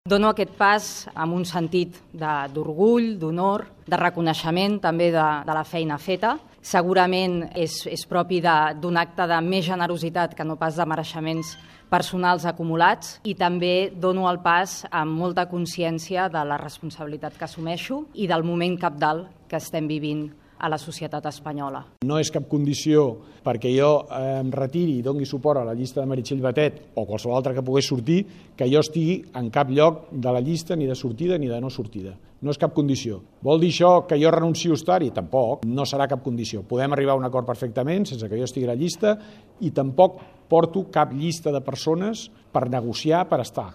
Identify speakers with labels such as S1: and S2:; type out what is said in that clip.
S1: Dono aquest pas amb un sentit d'orgull, d'honor, de reconeixement també de la feina feta. Segurament és propi d'un acte de més generositat que no pas de mereixements personals acumulats, i també dono el pas amb molta consciència de la responsabilitat que assumeixo i del moment cabdal que estem vivint a la societat espanyola.
S2: No és cap condició perquè jo em retiri i doni suport a la llista de Meritxell Batet o qualsevol altra que pogués sortir, que jo estigui en cap lloc de la llista, ni de sortida ni de no sortida. No és cap condició. Vol dir això que jo renuncio a estar-hi? Tampoc. No serà cap condició. Podem arribar a un acord perfectament sense que jo estigui a la llista, i tampoc porto cap llista de persones per negociar per estar.